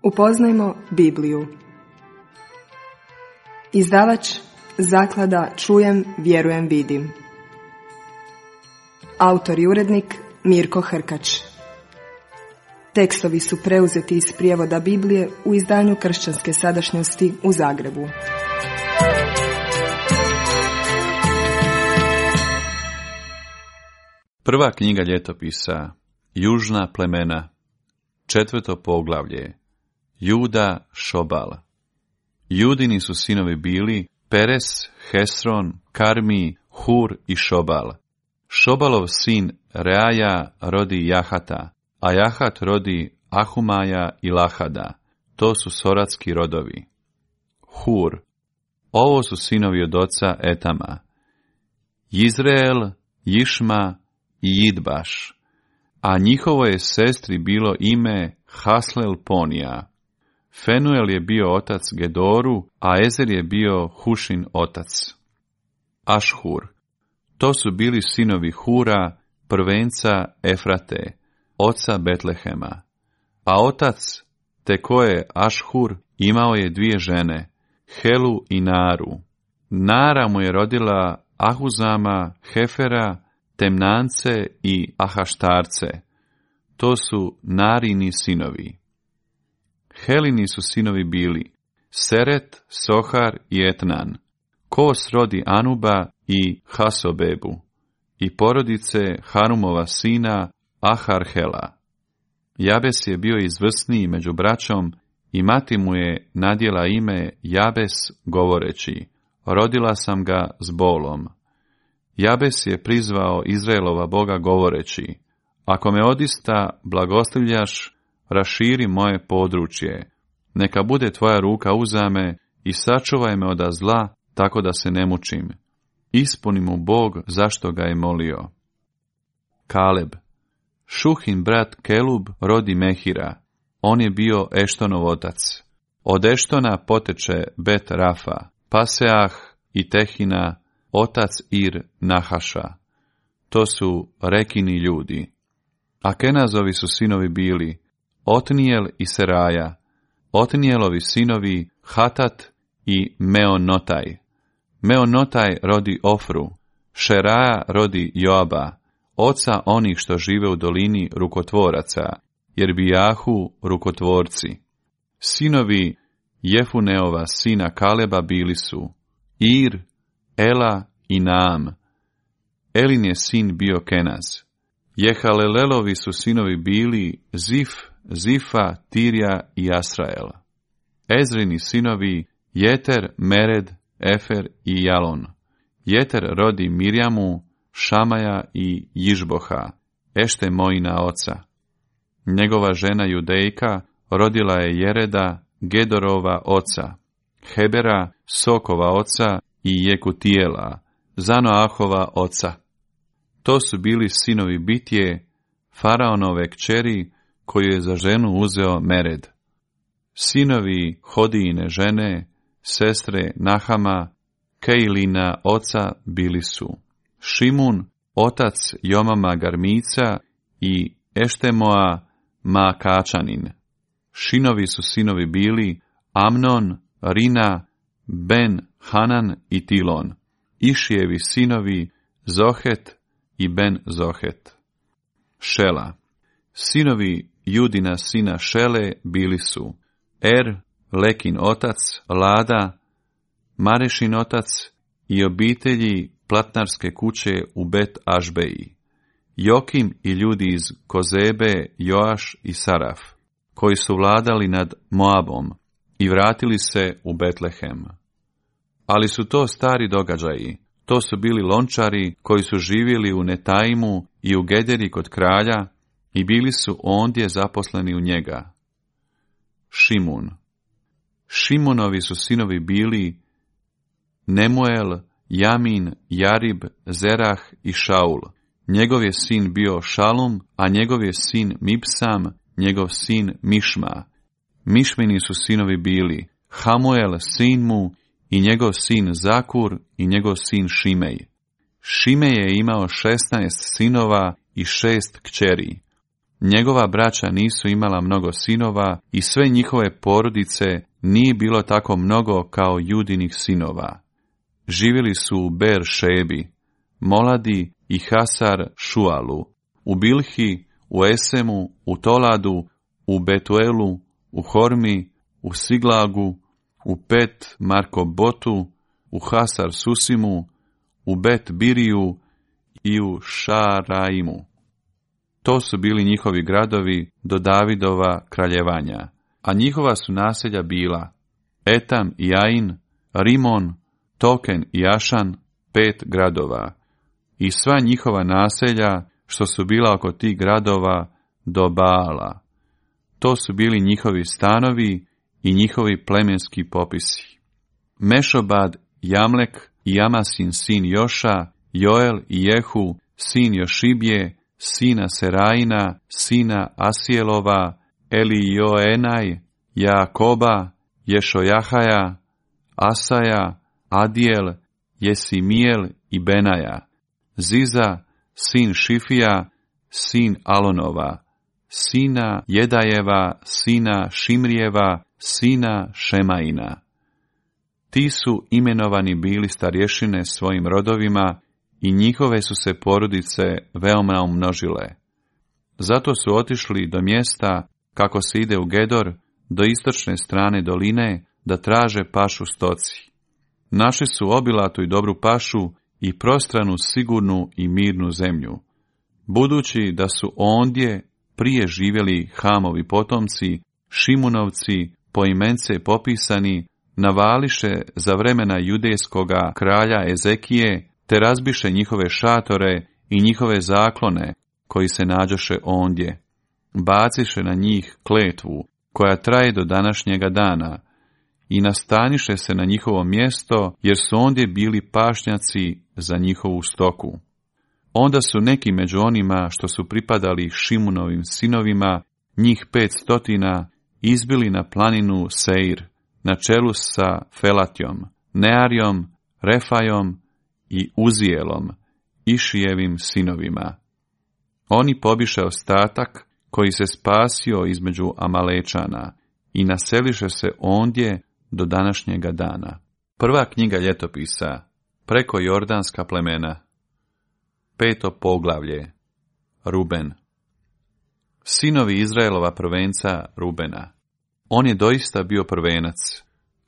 Upoznajmo Bibliju. Izdavač Zaklada Čujem, vjerujem, vidim. Autor i urednik Mirko Hrkač. Tekstovi su preuzeti iz prijevoda Biblije u izdanju Kršćanske sadašnjosti u Zagrebu. Prva knjiga ljetopisa, Južna plemena, 4. poglavlje, Juda, Šobal. Judini su sinovi bili Peres, Hesron, Karmi, Hur i Šobal. Šobalov sin Reaja rodi Jahata, a Jahat rodi Ahumaja i Lahada. To su soratski rodovi. Hur. Ovo su sinovi od oca Etama. Jizreel, Jišma i Jidbaš. A njihovo je sestri bilo ime Haslel Ponija. Fenuel je bio otac Gedoru, a Ezer je bio Hušin otac. Ašhur. To su bili sinovi Hura, prvenca Efrate, oca Betlehema. A otac Tekoje Ašhur imao je 2 žene, Helu i Naru. Nara mu je rodila Ahuzama, Hefera, Temnance i Ahaštarce. To su Narini sinovi. Helini su sinovi bili Seret, Sohar i Etnan. Kos rodi Anuba i Hasobebu i porodice Harumova sina Aharhela. Jabes je bio izvrsniji među braćom i mati mu je nadjela ime Jabes govoreći, rodila sam ga s bolom. Jabes je prizvao Izraelova Boga govoreći, ako me odista blagoslivljaš, raširi moje područje, neka bude tvoja ruka uza me i sačuvaj me od zla, tako da se ne mučim. Ispuni mu Bog zašto ga je molio. Kaleb. Šuhin brat Kelub rodi Mehira. On je bio Eštonov otac. Od Eštona poteče Bet Rafa, Paseah i Tehina, otac Ir Nahaša. To su Rekini ljudi. A Kenazovi su sinovi bili Otnijel i Seraja. Otnijelovi sinovi Hatat i Meonotaj. Meonotaj rodi Ofru. Šeraja rodi Joaba, oca onih što žive u dolini rukotvoraca, jer bijahu rukotvorci. Sinovi Jefuneova sina Kaleba bili su Ir, Ela i Naam. Elin je sin bio Kenaz. Jehalelelovi su sinovi bili Zif, Zifa, Tirja i Asrael. Ezrini sinovi Jeter, Mered, Efer i Jalon. Jeter rodi Mirjamu, Šamaja i Jižboha, Eštemojina oca. Njegova žena Judejka rodila je Jereda, Gedorova oca, Hebera, Sokova oca i Jekutijela, Zanoahova oca. To su bili sinovi Bitje, Faraonove kćeri, koju je za ženu uzeo Mered. Sinovi Hodijine žene, sestre Nahama, Kejlina oca bili su Šimun, otac Jomama Garmica i Eštemoa Maakačanin. Šinovi su sinovi bili Amnon, Rina, Ben Hanan i Tilon. Išijevi sinovi Zohet i Ben Zohet. Šela. Sinovi Judina sina Šele bili su Er, Lekin otac, Lada, Marešin otac i obitelji platnarske kuće u Bet Ašbeji. Jokim i ljudi iz Kozebe, Joaš i Saraf, koji su vladali nad Moabom i vratili se u Betlehem. Ali su to stari događaji. To su bili lončari koji su živjeli u Netaimu i u Gederi kod kralja i bili su ondje zaposleni u njega. Šimun. Šimunovi su sinovi bili Nemuel, Jamin, Jarib, Zerah i Šaul. Njegov je sin bio Šalum, a njegov je sin Mipsam, njegov sin Mišma. Mišmini su sinovi bili Hamuel, sin mu, i njegov sin Zakur i njegov sin Šimej. Šimej je imao 16 sinova i 6 kćeri. Njegova braća nisu imala mnogo sinova i sve njihove porodice nije bilo tako mnogo kao Judinih sinova. Živjeli su u Ber-šebi, Moladi i Hasar Šualu, u Bilhi, u Esemu, u Toladu, u Betuelu, u Hormi, u Siglagu, u Pet Markobotu, u Hasar Susimu, u Bet Biriju i u Šaraimu. To su bili njihovi gradovi do Davidova kraljevanja, a njihova su naselja bila Etam i Ain, Rimon, Token i Ašan, 5 gradova, i sva njihova naselja što su bila oko tih gradova do Baala. To su bili njihovi stanovi i njihovi plemenski popisi. Mešobad, Jamlek i Amasin sin Joša, Joel i Jehu, sin Jošibje, sina Serajina, sina Asijelova, Elijoenaj, Jakoba, Ješojahaja, Asaja, Adijel, Jesimijel i Benaja, Ziza, sin Šifija, sin Alonova, sina Jedajeva, sina Šimrijeva, sina Šemaina. Ti su imenovani bili starješine svojim rodovima i njihove su se porodice veoma umnožile. Zato su otišli do mjesta, kako se ide u Gedor, do istočne strane doline, da traže pašu stoci. Našli su obilatu i dobru pašu i prostranu, sigurnu i mirnu zemlju. Budući da su ondje prije živjeli Hamovi potomci, Šimunovci, poimence popisani, navališe za vremena judejskoga kralja Ezekije, te razbiše njihove šatore i njihove zaklone, koji se nađoše ondje. Baciše na njih kletvu, koja traje do današnjega dana, i nastaniše se na njihovo mjesto, jer su ondje bili pašnjaci za njihovu stoku. Onda su neki među onima što su pripadali Šimunovim sinovima, njih 500, izbili na planinu Seir, na čelu sa Felatjom, Nearijom, Refajom i Uzijelom, Išijevim sinovima. Oni pobiše ostatak koji se spasio između Amalečana i naseliše se ondje do današnjega dana. Prva knjiga ljetopisa, preko Jordanska plemena. 5. poglavlje. Ruben. Sinovi Izraelova prvenca Rubena. On je doista bio prvenac,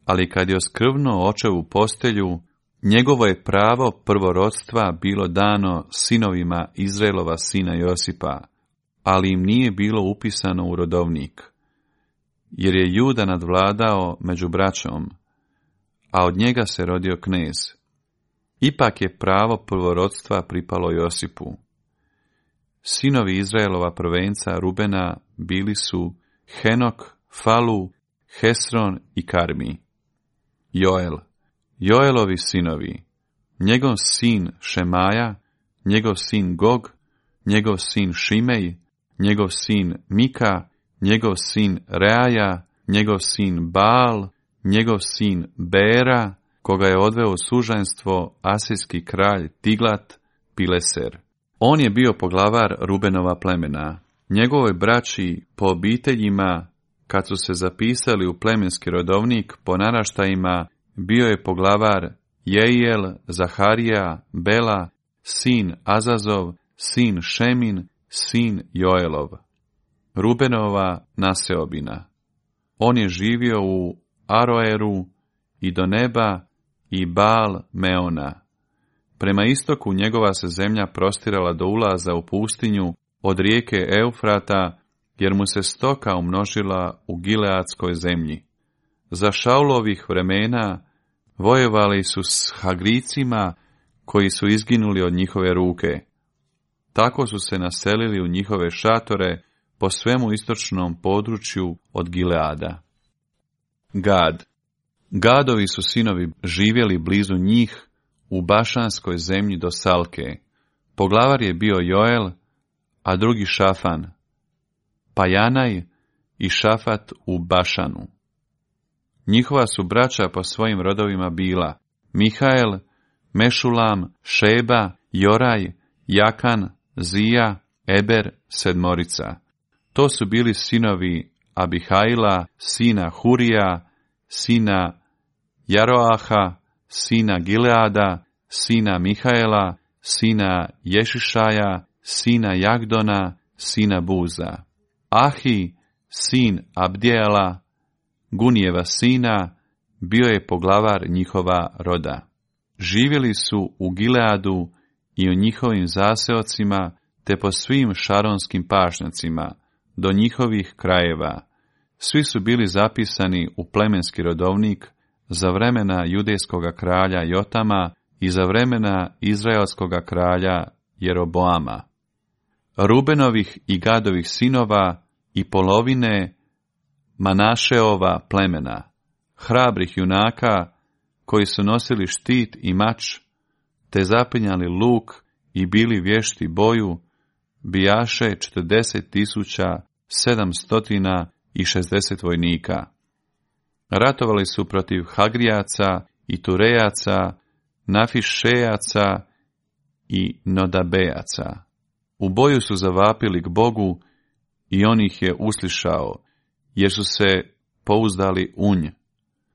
ali kad je oskrvnuo očevu postelju, njegovo je pravo prvorodstva bilo dano sinovima Izraelova sina Josipa, ali im nije bilo upisano u rodovnik, jer je Juda nadvladao među braćom, a od njega se rodio knez. Ipak je pravo prvorodstva pripalo Josipu. Sinovi Izraelova prvenca Rubena bili su Henok, Falu, Hesron i Karmi. Joel. Joelovi sinovi, njegov sin Šemaja, njegov sin Gog, njegov sin Šimej, njegov sin Mika, njegov sin Reaja, njegov sin Baal, njegov sin Bera, koga je odveo u sužanstvo asirski kralj Tiglat Pileser. On je bio poglavar Rubenova plemena. Njegovoj braći po obiteljima, kad su se zapisali u plemenski rodovnik po naraštajima, bio je poglavar Jeiel, Zaharija, Bela, sin Azazov, sin Šemin, sin Joelov. Rubenova naseobina. On je živio u Aroeru i do neba i Baal Meona. Prema istoku njegova se zemlja prostirala do ulaza u pustinju od rijeke Eufrata, jer mu se stoka umnožila u Gileadskoj zemlji. Za Šaulovih vremena vojevali su s Hagricima, koji su izginuli od njihove ruke. Tako su se naselili u njihove šatore po svemu istočnom području od Gileada. Gad. Gadovi su sinovi živjeli blizu njih u Bašanskoj zemlji do Salke. Poglavar je bio Joel, a drugi Šafan, pa Janaj i Šafat u Bašanu. Njihova su braća po svojim rodovima bila Mihael, Mešulam, Šeba, Joraj, Jakan, Zija, Eber, 7. To su bili sinovi Abihaila, sina Hurija, sina Jaroaha, sina Gileada, sina Mihaela, sina Ješišaja, sina Jagdona, sina Buza. Ahi, sin Abdijela, Gunijeva sina, bio je poglavar njihova roda. Živjeli su u Gileadu i u njihovim zaseocima, te po svim šaronskim pašnjacima, do njihovih krajeva. Svi su bili zapisani u plemenski rodovnik za vremena judejskoga kralja Jotama i za vremena izraelskoga kralja Jeroboama. Rubenovih i Gadovih sinova i polovine Manašeova plemena, hrabrih junaka koji su nosili štit i mač, te zapinjali luk i bili vješti boju, bijaše 40.760 vojnika. Ratovali su protiv Hagrijaca i Turejaca, Nafišejaca i Nodabejaca. U boju su zavapili k Bogu i on ih je uslišao, jer su se pouzdali u nj.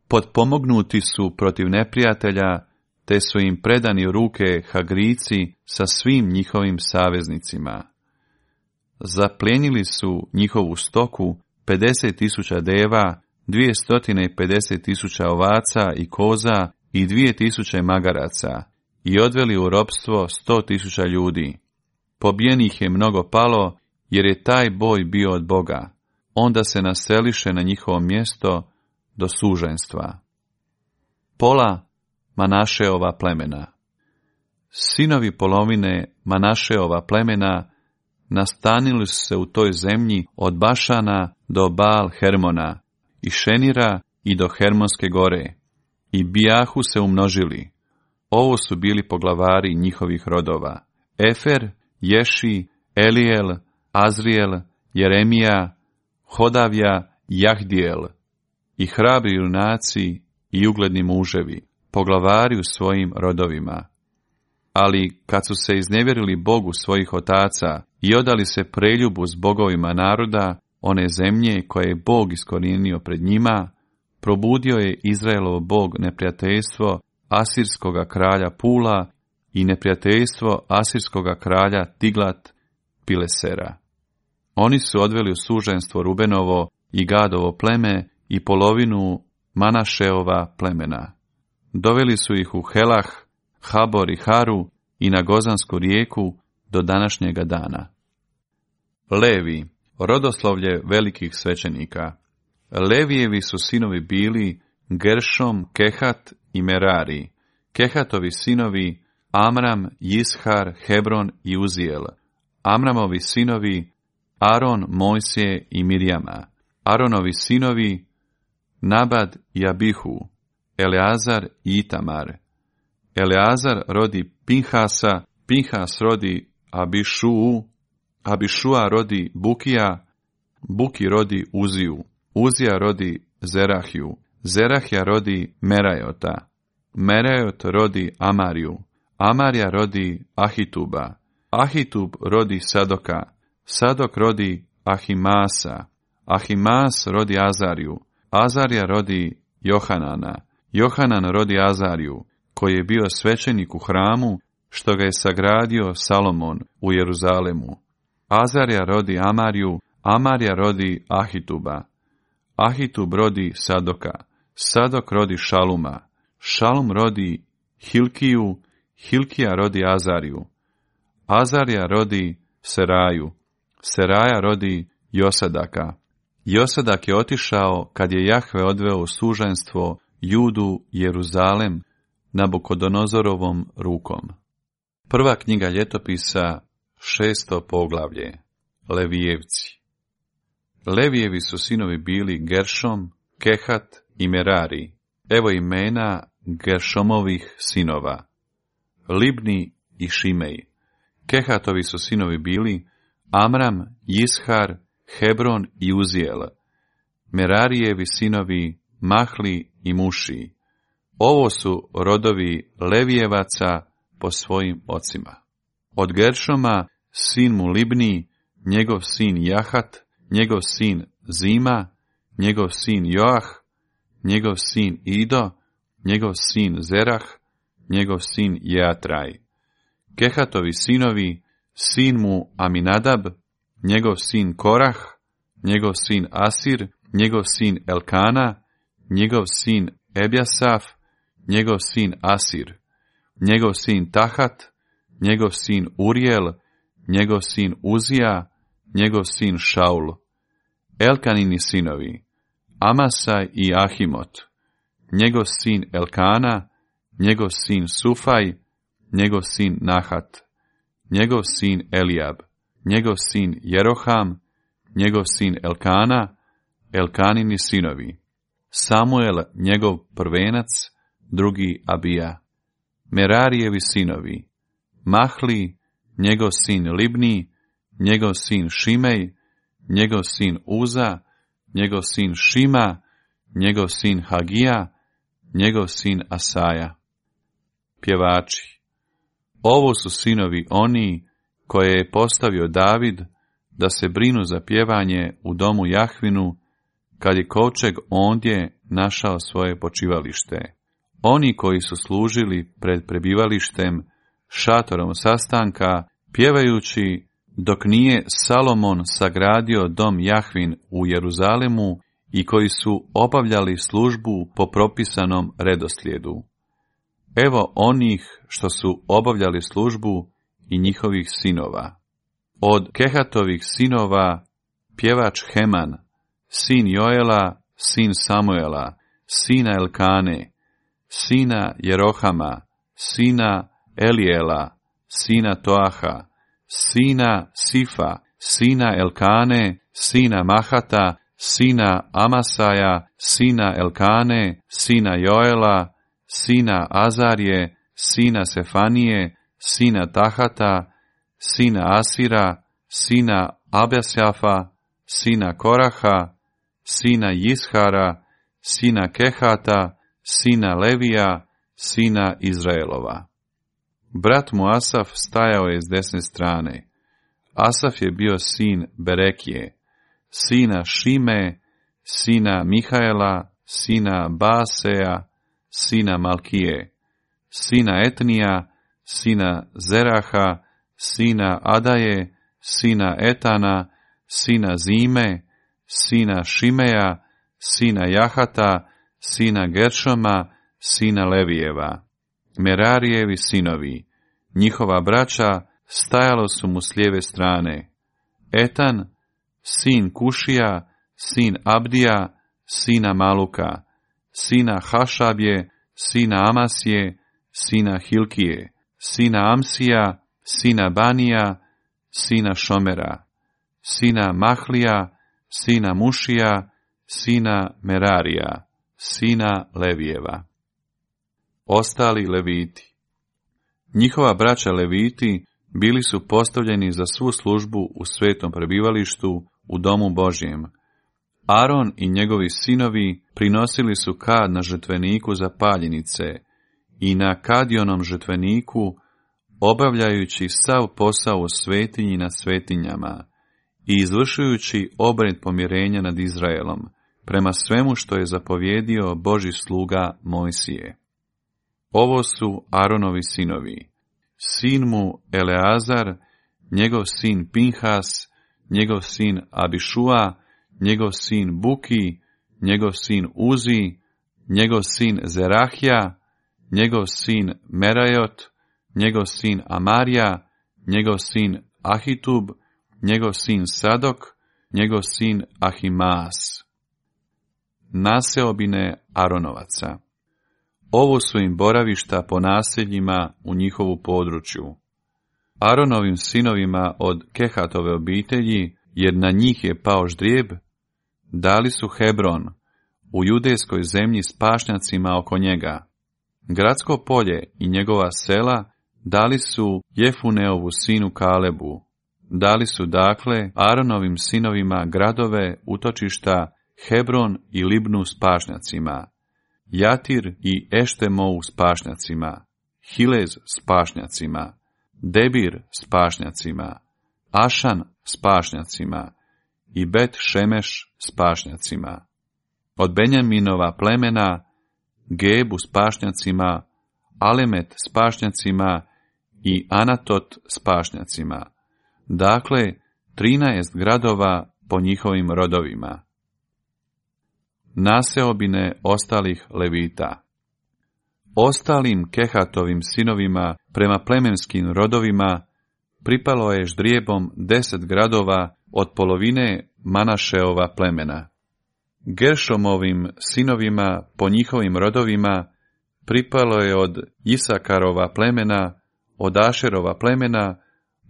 Potpomognuti su protiv neprijatelja, te su im predani u ruke Hagrijci sa svim njihovim saveznicima. Zaplijenili su njihovu stoku 50.000 deva, 250.000 ovaca i koza i 2.000 magaraca i odveli u ropstvo 100.000 ljudi. Pobijenih je mnogo palo, jer je taj boj bio od Boga. Onda se naseliše na njihovo mjesto do suženstva. Pola Manašeova plemena. Sinovi polovine Manašeova plemena nastanili su se u toj zemlji od Bašana do Baal Hermona, i Šenira i do Hermonske gore, i bijahu se umnožili. Ovo su bili poglavari njihovih rodova: Efer, Ješi, Elijel, Azriel, Jeremija, Hodavija, Jahdijel, i hrabri junaci i ugledni muževi, poglavari u svojim rodovima. Ali kad su se iznevjerili Bogu svojih otaca i odali se preljubu s bogovima naroda, one zemlje koje je Bog iskorijenio pred njima, probudio je Izraelov Bog neprijateljstvo asirskoga kralja Pula i neprijateljstvo asirskoga kralja Tiglat Pilesera. Oni su odveli u suženstvo Rubenovo i Gadovo pleme i polovinu Manašeova plemena. Doveli su ih u Helah, Habor i Haru i na Gozansku rijeku do današnjega dana. Levi, rodoslovlje velikih svećenika. Levijevi su sinovi bili Geršom, Kehat i Merari. Kehatovi sinovi Amram, Jishar, Hebron i Uzijel. Amramovi sinovi Aron, Mojsije i Mirjama. Aronovi sinovi Nabad i Abihu, Eleazar i Itamar. Eleazar rodi Pinhasa, Pinhas rodi Abišuu, Abišua rodi Bukija, Buki rodi Uziju, Uzija rodi Zerahiju, Zerahija rodi Merajota, Merajot rodi Amariju, Amarija rodi Ahituba, Ahitub rodi Sadoka, Sadok rodi Ahimasa, Ahimas rodi Azariju, Azarija rodi Johanana, Johanan rodi Azariju, koji je bio svećenik u hramu, što ga je sagradio Salomon u Jeruzalemu. Azarija rodi Amariju, Amarija rodi Ahituba, Ahitub rodi Sadoka, Sadok rodi Šaluma, Šalum rodi Hilkiju, Hilkija rodi Azariju, Azarija rodi Seraju, Seraja rodi Josadaka. Josadak je otišao kad je Jahve odveo u suženstvo Judu Jeruzalem Nabukodonozorovom rukom. Prva knjiga ljetopisa, 6. poglavlje. Levijevci. Levijevi su sinovi bili Geršom, Kehat i Merari. Evo imena Geršomovih sinova: Libni i Šimej. Kehatovi su sinovi bili Amram, Jishar, Hebron i Uzijel. Merarijevi sinovi Mahli i Muši. Ovo su rodovi Levijevaca po svojim ocima. Od Geršoma sin mu Libni, njegov sin Jahat, njegov sin Zima, njegov sin Joah, njegov sin Ido, njegov sin Zerah, njegov sin Jeatraj. Kehatovi sinovi, sin mu Aminadab, njegov sin Korah, njegov sin Asir, njegov sin Elkana, njegov sin Ebjasaf, njegov sin Asir, njegov sin Tahat, njegov sin Urijel, njegov sin Uzija, njegov sin Šaul. Elkanini sinovi, Amasaj i Ahimot, njegov sin Elkana, njegov sin Sufaj, njegov sin Nahat, njegov sin Elijab, njegov sin Jeroham, njegov sin Elkana, Elkanini sinovi, Samuel njegov prvenac, drugi Abija. Merarijevi sinovi, Mahli, njegov sin Libni, njegov sin Šimej, njegov sin Uza, njegov sin Šima, njegov sin Hagija, njegov sin Asaja. Pjevači. Ovo su sinovi oni koje je postavio David da se brinu za pjevanje u domu Jahvinu, kad je kovčeg ondje našao svoje počivalište. Oni koji su služili pred prebivalištem, šatorom sastanka, pjevajući dok nije Salomon sagradio dom Jahvin u Jeruzalemu i koji su obavljali službu po propisanom redoslijedu. Evo onih što su obavljali službu i njihovih sinova. Od Kehatovih sinova pjevač Heman, sin Joela, sin Samuela, sina Elkane, sina Jerohama, sina Elijela, sina Toaha, sina Sifa, sina Elkane, sina Mahata, sina Amasaja, sina Elkane, sina Joela, sina Azarije, sina Sefanije, sina Tahata, sina Asira, sina Abjasafa, sina Koraha, sina Jishara, sina Kehata, sina Levija, sina Izraelova. Brat mu Asaf stajao je s desne strane. Asaf je bio sin Berekije, sina Šime, sina Mihaela, sina Baaseja, sina Malkije, sina Etnija, sina Zeraha, sina Adaje, sina Etana, sina Zime, sina Šimeja, sina Jahata, sina Geršoma, sina Levijeva. Merarijevi sinovi, njihova braća, stajalo su mu s lijeve strane. Etan, sin Kušija, sin Abdija, sina Maluka, sina Hašabje, sina Amasije, sina Hilkije, sina Amsija, sina Banija, sina Šomera, sina Mahlija, sina Mušija, sina Merarija, sina Levijeva. Ostali Leviti. Njihova braća Leviti bili su postavljeni za svu službu u svetom prebivalištu u domu Božjem. Aron i njegovi sinovi prinosili su kad na žrtveniku za paljenice i na kadionom žrtveniku, obavljajući sav posao u svetinji nad svetinjama i izvršujući obred pomirenja nad Izraelom, prema svemu što je zapovjedio Božji sluga Mojsije. Ovo su Aronovi sinovi, sin mu Eleazar, njegov sin Pinhas, njegov sin Abišua, njegov sin Buki, njegov sin Uzi, njegov sin Zerahija, njegov sin Merajot, njegov sin Amarija, njegov sin Ahitub, njegov sin Sadok, njegov sin Ahimaas. Naseobine Aronovaca. Ovo su im boravišta po naseljima u njihovu području. Aronovim sinovima od Kehatove obitelji, jer na njih je pao ždrijeb, dali su Hebron, u judejskoj zemlji s pašnjacima oko njega. Gradsko polje i njegova sela dali su Jefuneovu sinu Kalebu. Dali su dakle Aronovim sinovima gradove, utočišta, Hebron i Libnu s pašnjacima, Jatir i Eštemou s pašnjacima, Hilez s pašnjacima, Debir s pašnjacima, Ašan s pašnjacima, i Bet Šemeš s pašnjacima. Od Benjaminova plemena Gebu s pašnjacima, Alemet s pašnjacima i Anatot s pašnjacima. Dakle, 13 gradova po njihovim rodovima. Naseobine ostalih Levita. Ostalim Kehatovim sinovima prema plemenskim rodovima pripalo je ždrijebom 10 gradova od polovine Manašeova plemena. Geršomovim sinovima po njihovim rodovima pripalo je od Isakarova plemena, od Ašerova plemena,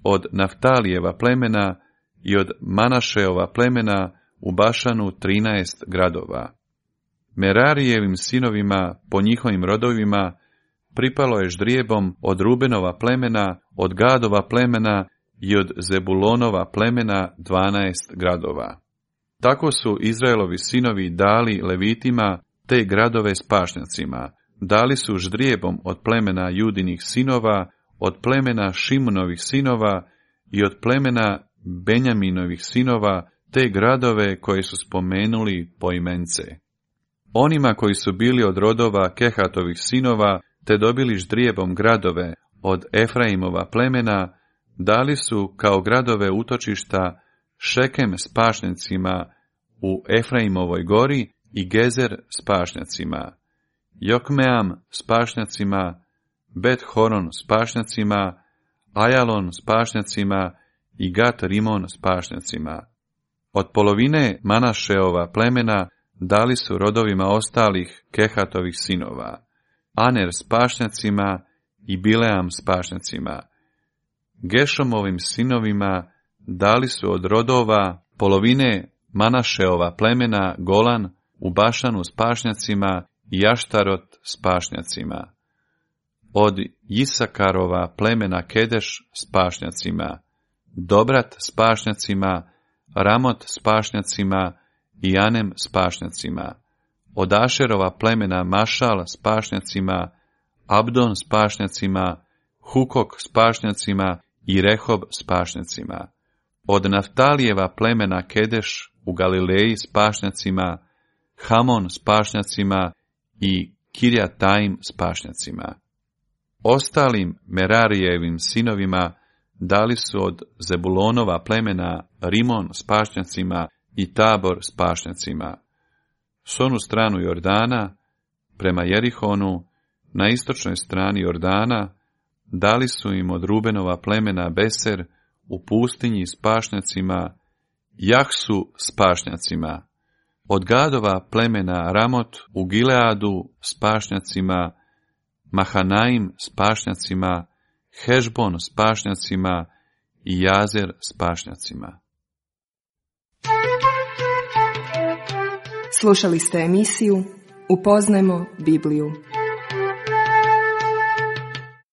od Naftalijeva plemena i od Manašeova plemena u Bašanu 13 gradova. Merarijevim sinovima po njihovim rodovima pripalo je ždrijebom od Rubenova plemena, od Gadova plemena i od Zebulonova plemena 12 gradova. Tako su Izraelovi sinovi dali Levitima te gradove s pašnjacima. Dali su ždrijebom od plemena Judinih sinova, od plemena Šimunovih sinova i od plemena Benjaminovih sinova te gradove koje su spomenuli poimence. Onima koji su bili od rodova Kehatovih sinova, te dobili ždrijebom gradove od Efraimova plemena, dali su kao gradove utočišta Šekem s pašnjacima u Efraimovoj gori i Gezer s pašnjacima, Jokmeam s pašnjacima, Bet Horon s pašnjacima, Ajalon s pašnjacima i Gat Rimon s pašnjacima. Od polovine Manašeova plemena dali su rodovima ostalih Kehatovih sinova, Aner s pašnjacima i Bileam s pašnjacima. Gešomovim sinovima dali su od rodova polovine Manašeova plemena Golan u Bašanu s pašnjacima i Jaštarot s pašnjacima. Od Isakarova plemena Kedeš s pašnjacima, Dobrat s pašnjacima, Ramot s pašnjacima i Anem s pašnjacima. Od Ašerova plemena Mašal s pašnjacima, Abdon s pašnjacima, Hukok s pašnjacima i Rehob s pašnjacima. Od Naftalijeva plemena Kedeš u Galileji s pašnjacima, Hamon s pašnjacima i Kirjataim s pašnjacima. Ostalim Merarijevim sinovima dali su od Zebulonova plemena Rimon s pašnjacima i Tabor s pašnjacima. S onu stranu Jordana, prema Jerihonu, na istočnoj strani Jordana, dali su im od Rubenova plemena Beser u pustinji s pašnjacima, Jahsu s pašnjacima. Od Gadova plemena Ramot u Gileadu s pašnjacima, Mahanaim s pašnjacima, Hešbon s pašnjacima i Jazer s pašnjacima. Slušali ste emisiju Upoznajmo Bibliju.